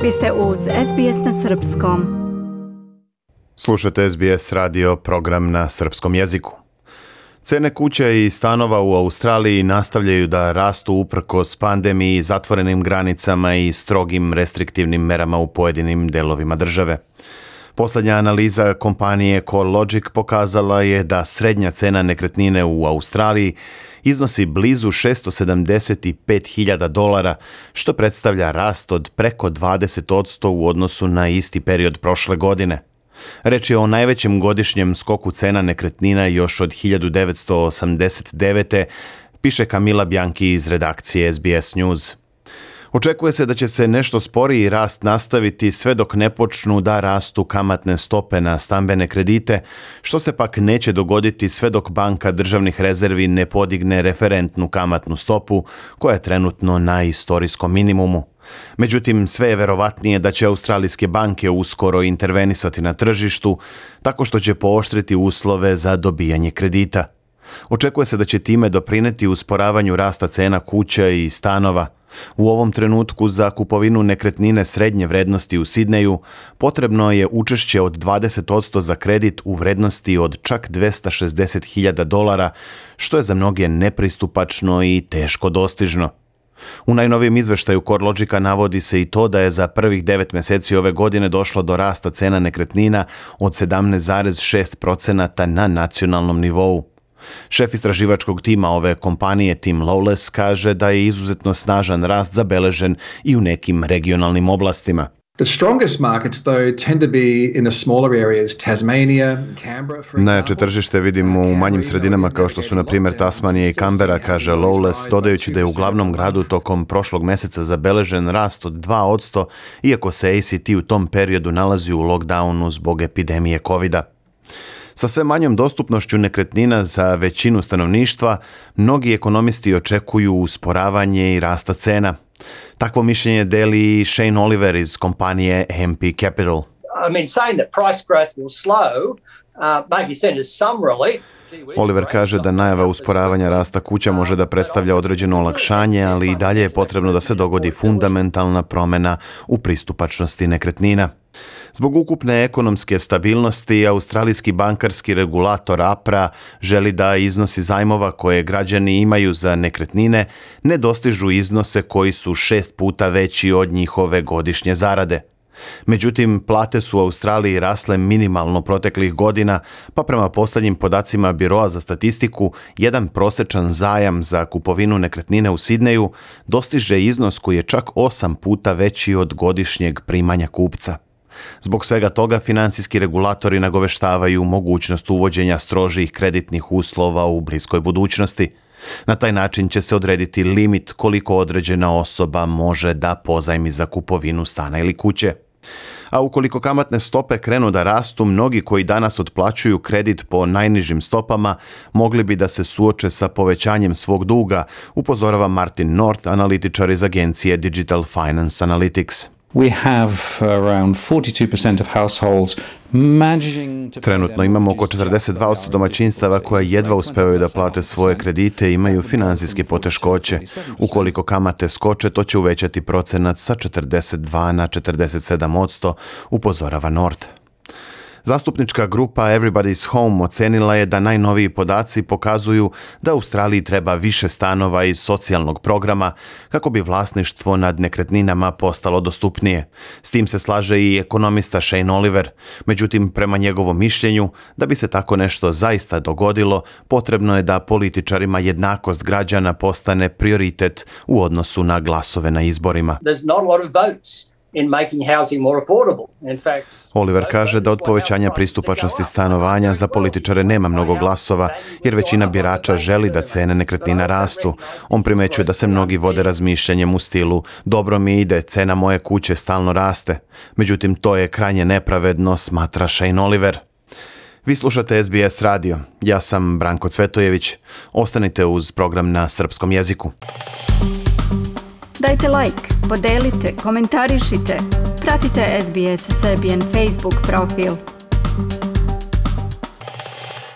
Vi ste uz SBS na srpskom. Slušate SBS radio, program na srpskom jeziku. Cene kuća i stanova u Australiji nastavljaju da rastu uprkos pandemiji, zatvorenim granicama i strogim restriktivnim merama u pojedinim delovima države. Posljednja analiza kompanije CoreLogic pokazala je da srednja cena nekretnine u Australiji iznosi blizu $675,000, što predstavlja rast od preko 20% u odnosu na isti period prošle godine. Reč je o najvećem godišnjem skoku cena nekretnina još od 1989. piše Camila Bianchi iz redakcije SBS News. Očekuje se da će se nešto sporiji rast nastaviti sve dok ne počnu da rastu kamatne stope na stambene kredite, što se pak neće dogoditi sve dok Banka državnih rezervi ne podigne referentnu kamatnu stopu, koja je trenutno na istorijskom minimumu. Međutim, sve je verovatnije da će australijske banke uskoro intervenisati na tržištu, tako što će pooštriti uslove za dobijanje kredita. Očekuje se da će time doprineti usporavanju rasta cena kuća i stanova. U ovom trenutku za kupovinu nekretnine srednje vrednosti u Sidneju potrebno je učešće od 20% za kredit u vrednosti od čak $260,000, što je za mnoge nepristupačno i teško dostižno. U najnovijem izveštaju CoreLogica navodi se i to da je za prvih 9 mjeseci ove godine došlo do rasta cena nekretnina od 17,6% na nacionalnom nivou. Šef istraživačkog tima ove kompanije Tim Lawless kaže da je izuzetno snažan rast zabeležen i u nekim regionalnim oblastima. The strongest markets though tend to be in the smaller areas, Tasmania, Canberra for example. Najjače tržište vidimo u manjim sredinama kao što su na primjer Tasmanija i Canberra, kaže Lawless, dodajući da je u glavnom gradu tokom prošlog mjeseca zabeležen rast od 2%, iako se ACT u tom periodu nalazi u lockdownu zbog epidemije covida. Sa sve manjom dostupnošću nekretnina za većinu stanovništva, mnogi ekonomisti očekuju usporavanje i rasta cena. Takvo mišljenje deli i Shane Oliver iz kompanije AMP Capital. Saying that price growth will slow maybe send us some relief. Oliver kaže da najava usporavanja rasta kuća može da predstavlja određeno olakšanje, ali i dalje je potrebno da se dogodi fundamentalna promjena u pristupačnosti nekretnina. Zbog ukupne ekonomske stabilnosti, australijski bankarski regulator APRA želi da iznosi zajmova koje građani imaju za nekretnine ne dostižu iznose koji su 6 puta veći od njihove godišnje zarade. Međutim, plate su u Australiji rasle minimalno proteklih godina, pa prema posljednjim podacima Biroa za statistiku, jedan prosječan zajam za kupovinu nekretnine u Sidneju dostiže iznos koji je čak 8 puta veći od godišnjeg primanja kupca. Zbog svega toga, financijski regulatori nagoveštavaju mogućnost uvođenja strožih kreditnih uslova u bliskoj budućnosti. Na taj način će se odrediti limit koliko određena osoba može da pozajmi za kupovinu stana ili kuće. A ukoliko kamatne stope krenu da rastu, mnogi koji danas otplaćuju kredit po najnižim stopama mogli bi da se suoče sa povećanjem svog duga, upozorava Martin North, analitičar iz agencije Digital Finance Analytics. We have around 42% of households managing to... Trenutno imamo oko 42% domaćinstava koja jedva uspevaju da plate svoje kredite i imaju financijske poteškoće. Ukoliko kamate skoče, to će uvećati procenat sa 42 na 47%, upozorava North. Zastupnička grupa Everybody's Home ocenila je da najnoviji podaci pokazuju da Australiji treba više stanova iz socijalnog programa kako bi vlasništvo nad nekretninama postalo dostupnije. S tim se slaže i ekonomista Shane Oliver. Međutim, prema njegovom mišljenju, da bi se tako nešto zaista dogodilo, potrebno je da političarima jednakost građana postane prioritet u odnosu na glasove na izborima. There's not a lot of votes in making housing more affordable. In fact, Oliver kaže da od povećanja pristupačnosti stanovanja za političare nema mnogo glasova, jer većina birača želi da cene nekretnina rastu. On primećuje da se mnogi vode razmišljanjem u stilu dobro mi ide, cena moje kuće stalno raste. Međutim, to je krajnje nepravedno, smatra Shane Oliver. Vi slušate SBS radio. Ja sam Branko Cvetojević. Ostanite uz program na srpskom jeziku. Dajte like, podelite, komentarišite. Pratite SBS Serbian Facebook profil.